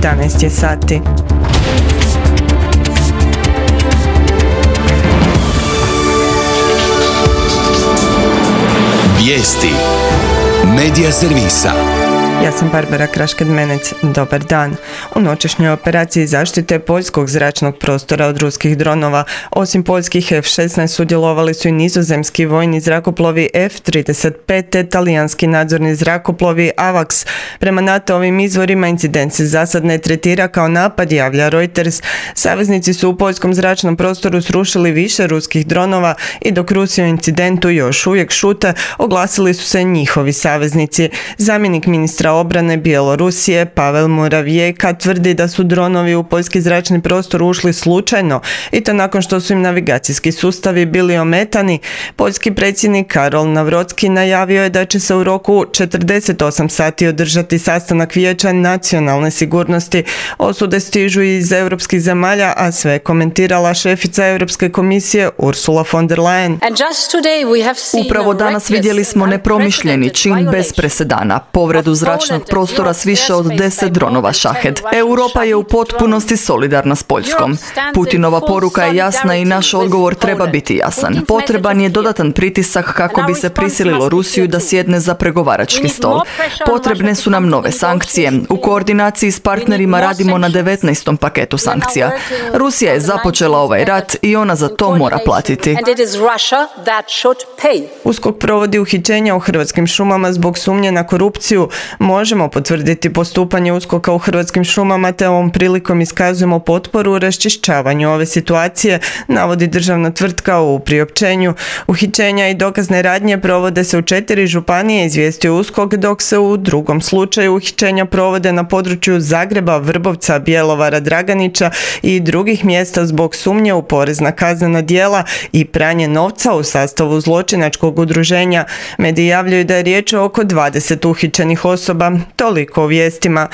11 je sati. Vijesti Medija servisa. Ja sam Barbara Krašked-Menec. Dobar dan. U noćešnjoj operaciji zaštite poljskog zračnog prostora od ruskih dronova, osim poljskih F-16 sudjelovali su i nizozemski vojni zrakoplovi F-35 te talijanski nadzorni zrakoplovi AWACS. Prema NATO-ovim izvorima incident se za sad ne tretira kao napad, javlja Reuters. Saveznici su u poljskom zračnom prostoru srušili više ruskih dronova i dok Rusi o incidentu još uvijek šute, oglasili su se njihovi saveznici. Zamjenik ministra obrane Bjelorusije Pavel Muravjeka tvrdi da su dronovi u poljski zračni prostor ušli slučajno i to nakon što su im navigacijski sustavi bili ometani. Poljski predsjednik Karol Navrocki najavio je da će se u roku 48 sati održati sastanak Vijeća nacionalne sigurnosti. Osude stižu iz europskih zemalja, a sve komentirala šefica Europske komisije Ursula von der Leyen. Upravo danas vidjeli smo nepromišljeni čin bez presedana, povredu zračnog prostora s više od 10 dronova Shahed. Europa je u potpunosti solidarna s Poljskom. Putinova poruka je jasna i naš odgovor treba biti jasan. Potreban je dodatan pritisak kako bi se prisililo Rusiju da sjedne za pregovarački stol. Potrebne su nam nove sankcije. U koordinaciji s partnerima radimo na 19. paketu sankcija. Rusija je započela ovaj rat i ona za to mora platiti. USKOK provodi uhićenja u Hrvatskim šumama zbog sumnje na korupciju. Možemo potvrditi postupanje USKOK-a u Hrvatskim šumama te ovom prilikom iskazujemo potporu u raščišćavanju ove situacije, navodi državna tvrtka u priopćenju. Uhićenja i dokazne radnje provode se u 4 županije, izvijestio USKOK, dok se u drugom slučaju uhićenja provode na području Zagreba, Vrbovca, Bjelovara, Draganića i drugih mjesta zbog sumnje u porezna kaznena djela i pranje novca u sastavu zločinačkog udruženja. Mediji javljaju da je riječ o oko 20 uhićenih osoba. Toliko o vijestima.